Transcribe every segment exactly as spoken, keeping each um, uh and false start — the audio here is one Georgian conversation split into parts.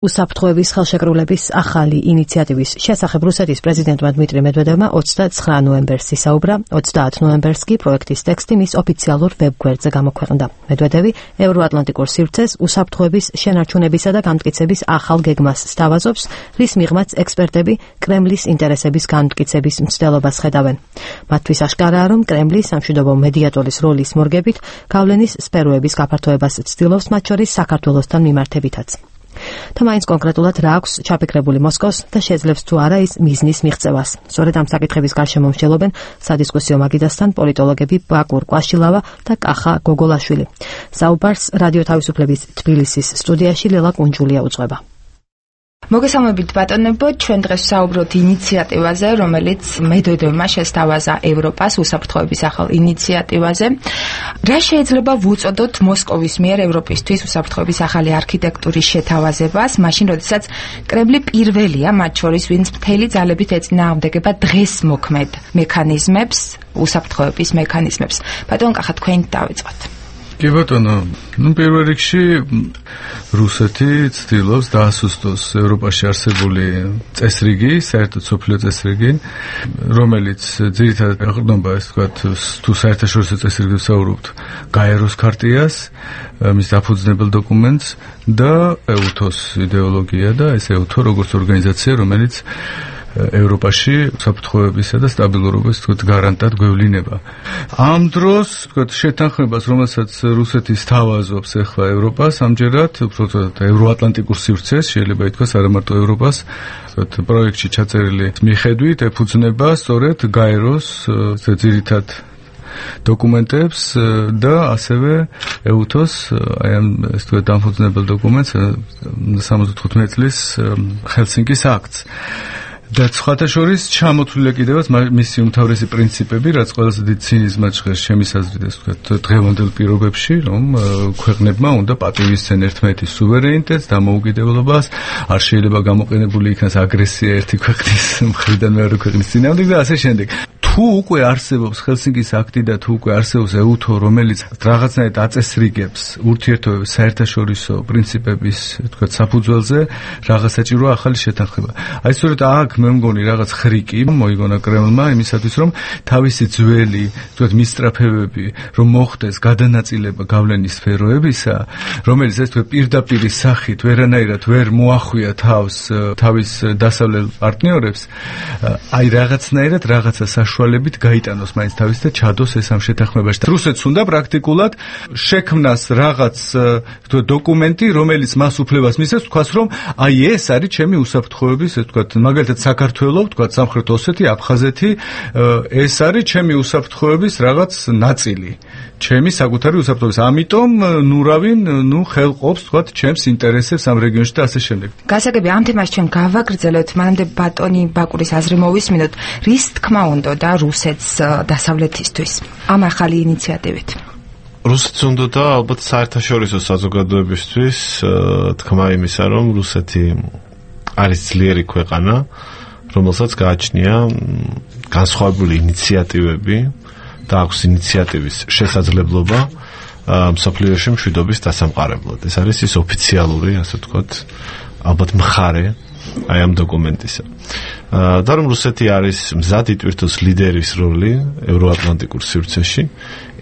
უსაფრთხოების ხელშეკრულების ახალი ინიციატივის შესახებ რუსეთის პრეზიდენტმა დმიტრი მედვედევმა ოცდაცხრა ნოემბერს ისაუბრა, ოცდაათ ნოემბერს კი პროექტის ტექსტი მის ოფიციალურ ვებგვერდზე გამოქვეყნდა. მედვედევი ევროატლანტიკურ სივრცეს უსაფრთხოების შენარჩუნებისა და განმტკიცების ახალ გეგმას სთავაზობს, რის მიღმაც ექსპერტები კრემლის ინტერესების განმტკიცების მცდელობას ხედავენ. მათთვის აშკარაა, რომ კრემლი სამშვიდობო მედიატორის როლის მორგებით გავლენის სფეროების გაფართოებას ცდილობს, მათ შორის საქართველოსთან მიმართებითაც. თამაინც კონკრეტულად რა აქვს ჩაფიქრებული მოსკოვს და შეძლებს თუ არა ის მიზნის მიღწევას. სწორედ ამ საკითხების გარშემო მსჯელობენ სადისკუსიო მაგიდასთან პოლიტოლოგები ბაკურ კვაშილავა და კახა გოგოლაშვილი. საუბარს რადიო თავისუფლების თბილისის სტუდიაში ლელა კუნჯულია უძღვება. მოგესალმებით ბატონებო, ჩვენ დღეს ვსაუბრობთ ინიციატივაზე, რომელიც მედვედევმა შესთავაზა ევროპას უსაფრთხოების ახალ ინიციატივაზე. რა შეიძლება ვუწოდოთ მოსკოვის მიერ ევროპისთვის უსაფრთხოების ახალი არქიტექტურის შეთავაზებას, მაშინ როდესაც კრემლი პირველია, მათ შორის, ვინც მთელი ძალებით ეწინააღმდეგება დღეს მოქმედ მექანიზმებს, უსაფრთხოების მექანიზმებს. ბატონ კახა, თქვენ დავიწყოთ. კი ბატონო, ну პირველ რიგში რუსეთი ცდილობს დაასუსტოს ევროპაში არსებული წესრიგი, საერთოდ სოფლიო წესრიგი, რომელიც ძირითადად ეყრდნობა, ეს ვთქვათ, თუ საერთაშორისო წესრიგზე ვსაუბრობთ, გაეროს ქარტიას, მის დაფუძნებელ დოკუმენტს და ეუთოს იდეოლოგია და ეს ეუთო როგორც ორგანიზაცია, რომელიც ევროპაში საფრთხოებისა და სტაბილურობის თქოთ გარანტად გვევლინება. ამ დროს თქოთ შეთანხმებას, რომელსაც რუსეთი სთავაზობს ახლა ევროპას, ამჯერად უბრალოდ ევროატლანტიკურ სივრცეს, შეიძლება ითქვას არა მარტო ევროპას, თქოთ პროექტში ჩაწერილი მიხედვით ეფუძნება სწორედ გაეროს ძირითად დოკუმენტებს და ასევე ეუთოს აი ამ ეს თქო დამფუძნებელ დოკუმენტს სამოცდათხუთმეტი წლის ჰელსინკის აქტს. და სხვათა შორის ჩამოთვლილია კიდევაც მისი უმთავრესი პრინციპები, რაც ყველაზე დიდ ცინიზმად ჟღერს ჩემის აზრით, ეს ვთქვათ, დღევანდელ პირობებში, რომ ქვეყნებმა უნდა პატივისცენ ერთმანეთის სუვერენიტეტს, დამოუკიდებლობას, არ შეიძლება გამოყენებული იქნას აგრესია ერთი ქვეყნის მხრიდან მეორე ქვეყნის წინააღმდეგ და ასე შემდეგ. თუ უკვე არსებობს ჰელსინკის აქტი და თუ უკვე არსებობს ეუთო, რომელიც რაღაცნაირად აწესრიგებს ურთიერთობების საერთაშორისო პრინციპების, ვთქვათ, საფუძველზე, რაღაც საჭიროა ახალი შეთანხმება. აი სწორედ აქ მე მგონი რაღაც ხრიკი მოიგონა კრემლმა იმისათვის, რომ თავისი ძველი, ვთქვათ, მისწრაფებები, რომ მოხდეს გადანაწილება გავლენის სფეროებისა, რომელიც ეს თქო პირდაპირ სახით ვერანაირად ვერ მოახვია თავს თავის დასავლელ პარტნიორებს, აი რაღაცნაირად რაღაცა საშუალებით გაიტანოს მაინც თავის და ჩადოს ეს ამ შეთანხმებაში. რუსეთს უნდა პრაქტიკულად შექმნას რაღაც ვთქვათ დოკუმენტი, რომელიც მას უფლებას მისცემს, თქვას რომ აი ეს არის ჩემი უსაფრთხოების, ეს ვთქვათ, მაგალითად საქართველოს, ვთქვათ, სამხრეთ ოსეთი, აფხაზეთი, ეს არის ჩემი უსაფრთხოების რაღაც ნაწილი. ჩემი საკუთარი უსაფრთხოების. ამიტომ ნურავინ, ნუ ხელყოფს, ვთქვათ, ჩემს ინტერესებს ამ რეგიონში და ასე შემდეგ. გასაგები ამ თემას ჩვენ გავაგრძელებთ, მანამდე ბატონი ბაკურის აზრი მოვისმინოთ, რის თქმა უნდა და რუსეთს დასავლეთისთვის ამ ახალი ინიციატივით. რუსეთს უნდა და ალბათ საერთაშორისო საზოგადოებისთვის თქმა იმისა, რომ რუსეთი არის ძლიერი ქვეყანა, რომელსაც გააჩნია განსხვავებული ინიციატივები და აქვს ინიციატივის შესაძლებლობა მსოფლიოში მშვიდობის დასამყარებლად. ეს არის ის ოფიციალური, ასე ვთქვათ, ალბათ მხარე აი ამ დოკუმენტისა. და რომ რუსეთი არის მზად იტვირთოს ლიდერის როლი ევროატლანტიკურ სივრცეში,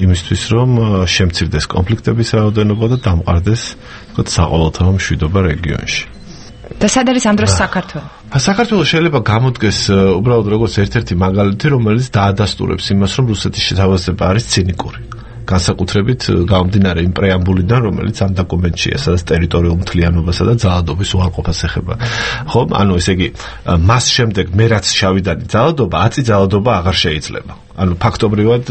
იმისთვის რომ შემცირდეს კონფლიქტების რაოდენობა და დამყარდეს, ვთქვათ, საყოველთაო მშვიდობა რეგიონში. და სად არის ამ დროს საქართველო? საქართველო შეიძლება გამოდგეს უბრალოდ როგორც ერთ-ერთი მაგალითი, რომელიც დაადასტურებს იმას, რომ რუსეთის შეთავაზება არის ცინიკური. განსაკუთრებით გამომდინარე იმ პრეამბულიდან, რომელიც ამ დოკუმენტშია, სადაც ტერიტორიულ მთლიანობასა და ძალადობის უარყოფას ეხება. ხო, ანუ ესე იგი, მას შემდეგ მე რაც შავიდანი ძალადობა, ათი ძალადობა აღარ შეიძლება. ანუ ფაქტობრივად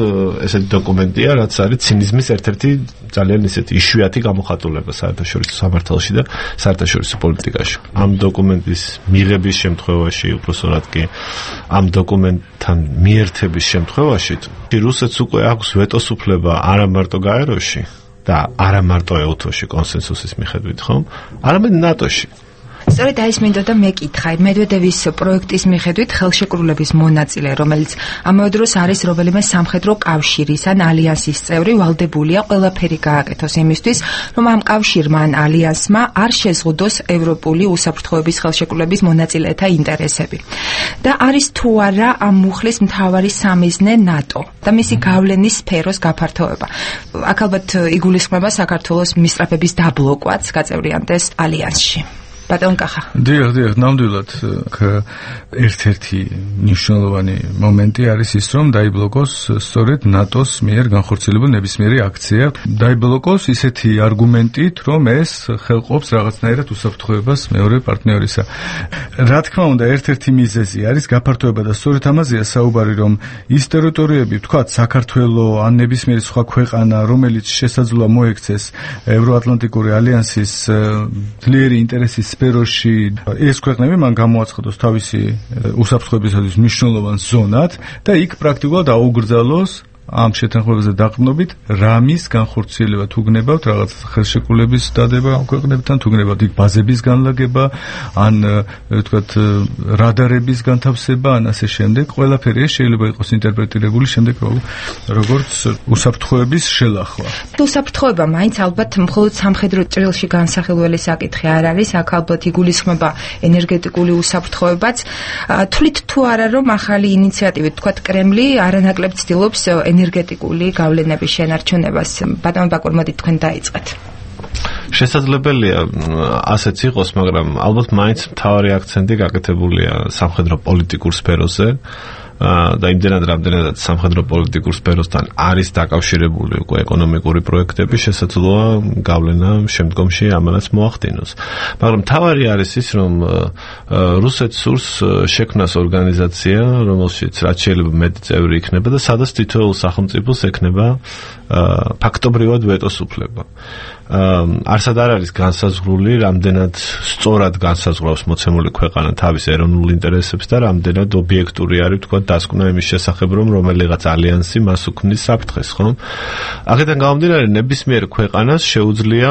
ესეთი დოკუმენტია, რაც არის ცინიზმის ერთ-ერთი ძალიან ისეთი იშვიათი გამოხატულება საერთაშორისო სამართალში და საერთაშორისო პოლიტიკაში. ამ დოკუმენტის მიღების შემთხვევაში, უпроსორად კი ამ დოკუმენტთან მიერთების შემთხვევაში, რუსეთს უკვე აქვს ვეტოს უფლება არა მარტო გაეროში და არა მარტო ეუთოში კონსენსუსის მიხედვით, ხომ? არამედ ნატოში. სწორედ აი ეს მინდოდა მეკითხა. მედვედევის პროექტის მიხედვით ხელშეკრულების მონაწილე, რომელიც ამავე დროს არის რომელიმე სამხედრო კავშირის ან ალიანსის წევრი, ვალდებულია ყველაფერი გააკეთოს იმისთვის, რომ ამ კავშირმა ან ალიანსმა არ შეზღუდოს ევროპული უსაფრთხოების ხელშეკრულების მონაწილეთა ინტერესები. და არის თუ არა ამ მუხლის მთავარი სამიზნე ნატო და მისი გავლენის სფეროს გაფართოება. აქ ალბათ იგულისხმება საქართველოს მისწრაფების დაბლოკვაც გაწევრიანდეს ალიანსში. ბატონ კახა. დიახ, დიახ, ნამდვილად ერთ-ერთი მნიშვნელოვანი მომენტი არის ის, რომ დაიბლოკოს სწორედ ნატოს მიერ განხორციელებული ნებისმიერი აქცია. დაიბლოკოს ისეთი არგუმენტით, რომ ეს ხელყოფს რაღაცნაირად უსაფრთხოებას მეორე პარტნიორისა. რა თქმა უნდა, ერთ-ერთი მიზეზი არის გაფართოება და სწორედ ამაზეა საუბარი, რომ ის ტერიტორიები, ვთქვათ, საქართველოს ან ნებისმიერი სხვა ქვეყანა, რომელიც შესაძლოა მოექცეს ევროატლანტიკური ალიანსის ძლიერი ინტერესის სფეროში, ეს ქვეყნები მან გამოაცხადოს თავისი უსაფრთხოებისათვის მნიშვნელოვან ზონად და იქ პრაქტიკულად აუგრძალოს ამ შეთანხმებაზე დაყრდნობით რამის განხორციელება თუ გნებავთ რაღაც ხელშეკრულების დადება ამ ქვეყნებთან, თუ გნებავთ იქ ბაზების განლაგება, ან ვთქვათ რადარების განთავსება, ან ასე შემდეგ, ყველაფერი ეს შეიძლება იყოს ინტერპრეტირებული შემდეგ როგორც უსაფრთხოების შელახვა. უსაფრთხოება მაინც ალბათ მხოლოდ სამხედრო ჭრილში განსახილველი საკითხი არ არის, აქ ალბათ იგულისხმება ენერგეტიკული უსაფრთხოებაც. თვლით თუ არა, რომ ახალი ინიციატივით, ვთქვათ, კრემლი არანაკლებ ცდილობს ენერგეტიკული გავლენების შენარჩუნებას. ბატონ ბაკურ, მოდით თქვენ დაიწყეთ. შესაძლებელია ასეც იყოს, მაგრამ ალბათ მაინც მთავარი აქცენტი გაკეთებულია სამხედრო პოლიტიკურ სფეროზე. და იმდენად რამდენადაც სამხედრო პოლიტიკურ სფეროსთან არის დაკავშირებული უკვე ეკონომიკური პროექტები, შესაძლოა გავლენა შემდგომში ამანაც მოახდინოს. მაგრამ თავარი არის ის, რომ რუსეთს სურს შექმნას ორგანიზაცია, რომელშიც რაც შეიძლება მეტი წევრი იქნება და სადაც თითოეულ სახელმწიფოს ექნება ფაქტობრივად ვეტოს უფლება. არსად არ არის განსაზღვრული, რამდენად სწორად განსაზღვრავს მოცემული ქვეყანა თავის ეროვნულ ინტერესებს და რამდენად ობიექტური არის, თქვა, დასკვნა იმის შესახებ, რომ რომელიღაც ალიანსი მას უქმნის საფრთხეს, ხო? აქედან გამომდინარე, ნებისმიერ ქვეყანას შეუძლია,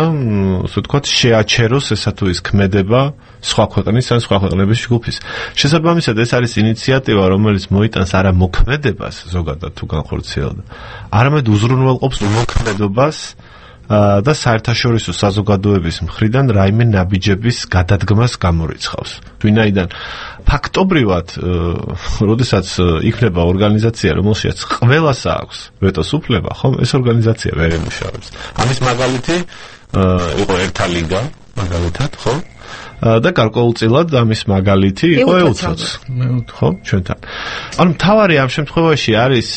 ასე ვთქვათ, შეაჩეროს ესა თუ ის ქმედება სხვა ქვეყნის ან სხვა ქვეყნების ჯგუფის. შესაბამისად, ეს არის ინიციატივა, რომელიც მოიტანს არა მოქმედებას ზოგადად თუ განხორციელდა, არამედ უზრუნველყოფს მოქმედებას და საერთაშორისო საზოგადოების მხრიდან რაიმე ნაბიჯების გადადგმას გამორიცხავს. ვინაიდან ფაქტობრივად, როდესაც იქნება ორგანიზაცია, რომელშიც ყველას აქვს ვეტოს უფლება, ხო, ეს ორგანიზაცია ვერ ემუშავებს. ამის მაგალითი იყო ერთა ლიგა, მაგალითად, ხო? და გარკვეულწილად ამის მაგალითი იყო ეუთოც, ხო, ჩვენთან. ანუ მთავარი ამ შემთხვევაში არის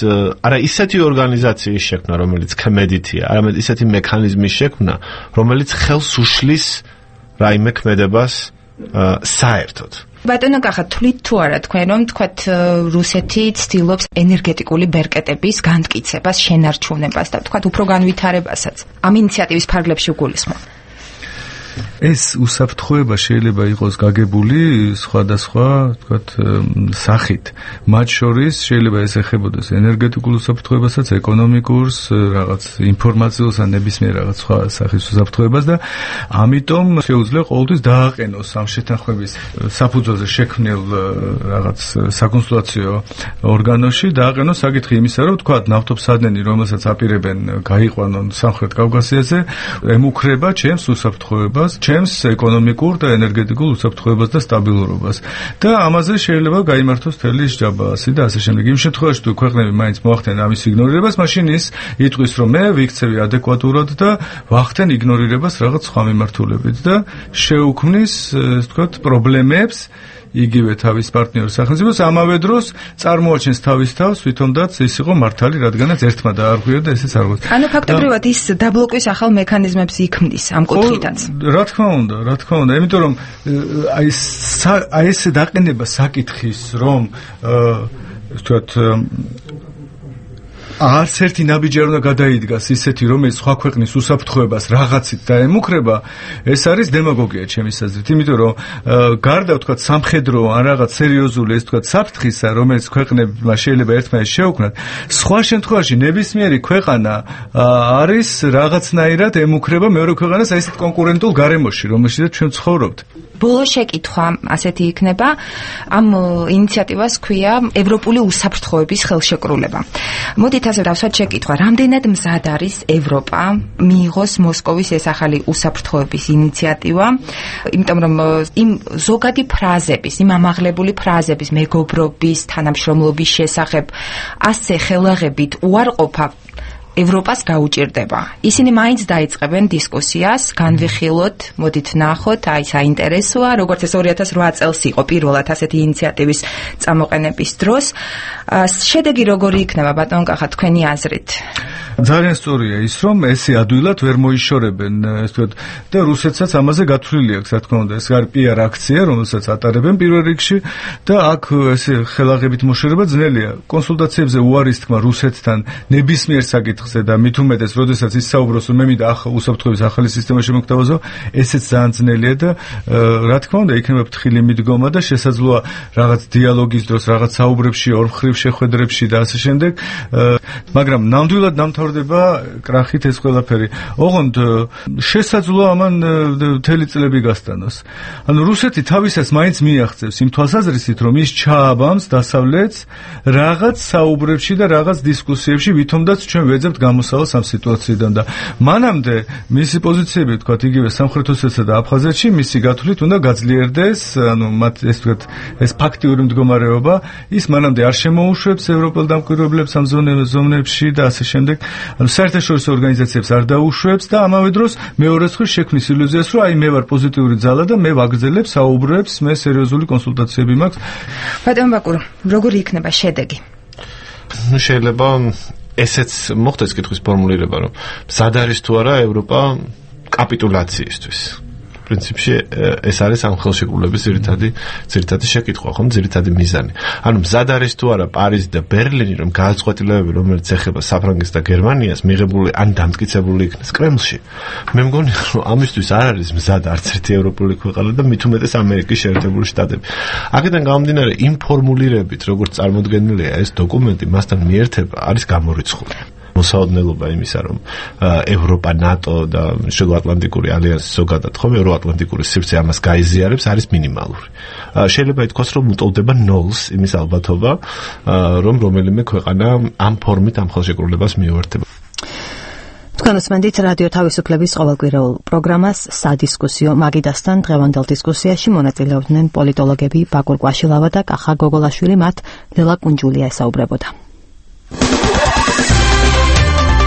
არა ისეთი ორგანიზაციის შექმნა, რომელიც ქმედითია, არამედ ისეთი მექანიზმის შექმნა, რომელიც ხელს უშლის რაიმე ქმედებას საერთოდ. ბატონო კახა, თვლით თუ არა თქვენ, რომ თქვათ რუსეთი ცდილობს ენერგეტიკული ბერკეტების განმტკიცებას, შენარჩუნებას და თქვათ უფრო განვითარებასაც ამ ინიციატივის ფარგლებში უგულისხმობ? ეს უსაფრთხოება შეიძლება იყოს გაგებული სხვადასხვა, ვთქვათ, სახით. მათ შორის შეიძლება ეს ეხებოდეს ენერგეტიკულ უსაფრთხოებასაც, ეკონომიკურს, რაღაც ინფორმაციულს ან ნებისმიერ რაღაც სხვა სახის უსაფრთხოებას და ამიტომ შეუძლია ყოველთვის დააყენოს ამ შეთანხმების საფუძველზე შექმნილ რაღაც საკონსულტაციო ორგანოში, დააყენოს საკითხი იმისა, რომ ვთქვათ, ნავთობსადენი, რომელსაც აპირებენ გაიყვანონ სამხრეთ კავკასიაზე, ემუქრება ჩემს უსაფრთხოებას, ჩემს ეკონომიკურ და ენერგეტიკულ უსაფრთხოებას და სტაბილურობას. და ამაზე შეიძლება გაიმართოს თელი ჯაბასი და ასე შემდეგ. იმ შემთხვევაში თუ ქვეყნები მაინც მოახდენენ ამის იგნორირებას, მაშინ ის იტყვის, რომ მე ვიქცევი ადეკვატურად და ვახდენ იგნორირებას რაღაც სხვა მიმართულებით და შეუქმნის, ასე ვთქვათ, პრობლემებს იგივე თავის პარტნიორ სახელმწიფოს, ამავე დროს წარმოაჩენს თავის თავს, თვითონაც ის იყო მართალი, რადგანაც ერთმა დაარღვია და ესეც არ გოს. ანუ ფაქტობრივად ის დაბლოკვის ახალ მექანიზმებს იქმნის ამ კუთხითაც. რა თქმა უნდა, რა თქმა უნდა, იმიტომ რომ აი აი ეს დაყენება საკითხის, რომ ვთქვათ არც ერთი ნაბიჯი არ უნდა გადაიდგას ისეთი, რომელიც სხვა ქვეყნის უსაფრთხოებას რაღაცით დაემუქრება, ეს არის დემაგოგია ჩემის აზრით, იმიტომ რომ გარდა თქვა სამხედრო ან რაღაც სერიოზული ეს თქვა საფრთხისა, რომელიც ქვეყნებმა შეიძლება ერთმანეთს შეუქმნათ, სხვა შემთხვევაში ნებისმიერი ქვეყანა არის რაღაცნაირად ემუქრება მეორე ქვეყანას აი ესეთ კონკურენტულ გარემოში, რომელშიც ჩვენ ცხოვრობთ. ბოლო შეკითხვა ასეთი იქნება, ამ ინიციატივას ქვია ევროპული უსაფრთხოების ხელშეკრულება. მოდით ასე დავსვათ შეკითხვა, რამდენად მზად არის ევროპა მიიღოს მოსკოვის ეს ახალი უსაფრთხოების ინიციატივა, იმიტომ რომ იმ ზოგადი ფრაზების, იმ ამაღლებული ფრაზების მეგობრობის, თანამშრომლობის შესახებ ასე ხელაღებით უარყოფა ევროპას გაუჭირდება. ისინი მაინც დაიწყებენ დისკუსიას, განვიხილოთ, მოდით ნახოთ, აი საინტერესოა, როგორც ეს ორი ათას რვა წელს იყო პირველად ასეთი ინიციატივის წამოყენების დროს. შედეგი როგორი იქნება, ბატონ კახა, თქვენი აზრით? ძალიან სწორია ის, რომ ესე ადვილად ვერ მოიშორებენ, ეს თქვა და რუსეთსაც ამაზე გათვლილი აქვს, რა თქმა უნდა, ეს არის პიარ აქცია, რომელსაც ატარებენ პირველ რიგში და აქ ესე ხელაღებით მოშორება ძნელია. კონსულტაციებზე უარის თქმა რუსეთთან ნებისმიერ საკითხზე და მით უმეტეს, როდესაც ის საუბრობს, რომ მე მინდა უსაფრთხოების ახალი სისტემა შემოგთავაზო, ესეც ძალიან ძნელია და რა თქმა უნდა, იქნება ფრთხილი მიდგომა და შესაძლოა რაღაც დიალოგის დროს, რაღაც საუბრებში, ორმხრივ შეხვედრებში და ასე შემდეგ, მაგრამ ნამდვილად დამთავრდება კრახით ეს ყველაფერი. ოღონდ შესაძლოა ამან მთელი წლები გასტანოს. ანუ რუსეთი თავისას მაინც მიაღწევს იმ თვალსაზრისით, რომ ის ჩააბამს დასავლეთს რაღაც საუბრებში და რაღაც დისკუსიებში, ვითომაც ჩვენ ვეძებთ გამოსავალს ამ სიტუაციიდან და მანამდე მისი პოზიციები, თქვათ, იგივე სამხრეთ ოსეთსა და აფხაზეთში მისი გათვლით უნდა გაძლიერდეს, ანუ მათ ეს თქვათ, ეს ფაქტიური მდგომარეობა, ის მანამდე არ შემოუშვებს ევროპელ დამკვირვებლებს ამ ზონებში და ასე შემდეგ. ანუ საერთაშორისო ორგანიზაციებს არ დაუშვებს და ამავე დროს მეორე მხრივ შექმნის ილუზიას, რომ აი მე ვარ პოზიტიური ძალა და მე ვაგრძელებ საუბრებს, მე სერიოზული კონსულტაციები მაქვს. ბატონ ბაკურო, როგორი იქნება შედეგი? ნუ შეიძლება ესეც მოხდეს კითხვის ფორმულირება, რომ მზად არის თუ არა ევროპა კაპიტულაციისთვის. პრინციპში ეს არის ამ ხელშეკრულების ძირითადი ძირითადი შეკითხვა, ხომ, ძირითადი მიზანი. ანუ მზად არის თუ არა პარიზი და ბერლინი, რომ გადაწყვეტილებები, რომელიც ეხება საფრანგეთს და გერმანიას, მიღებული ან დამტკიცებული იქნეს კრემლში. მე მგონი, რომ ამისთვის არ არის მზად არც ერთი ევროპული ქვეყანა და მით უმეტეს ამერიკის შეერთებული შტატები. აქედან გამომდინარე, იმ ფორმულირებით, როგორც წარმოდგენილია ეს დოკუმენტი, მასთან მიერთება არის გამორიცხული. მოსაოდნელობა იმისა, რომ ევროპა, ნატო და შუაატლანტიკური ალიანსი ზოგადად ხომ ევროატლანტიკური სივრცე ამას გაიზიარებს, არის მინიმალური. შეიძლება ითქვას, რომ უტოლდება ნოლს იმის ალბათობა, რომ რომელიმე ქვეყანა ამ ფორმით ამ ხელშეკრულებას მიუერთება. თქვენ უსმენთ რადიო თავისუფლების ყოველკვირეულ პროგრამას სადისკუსიო მაგიდასთან. დღევანდელ დისკუსიაში მონაწილეობდნენ პოლიტოლოგები ბაკურ კვაშილავა და კახა გოგოლაშვილი, მათ ნელა კუნჯულია ესაუბრებოდა.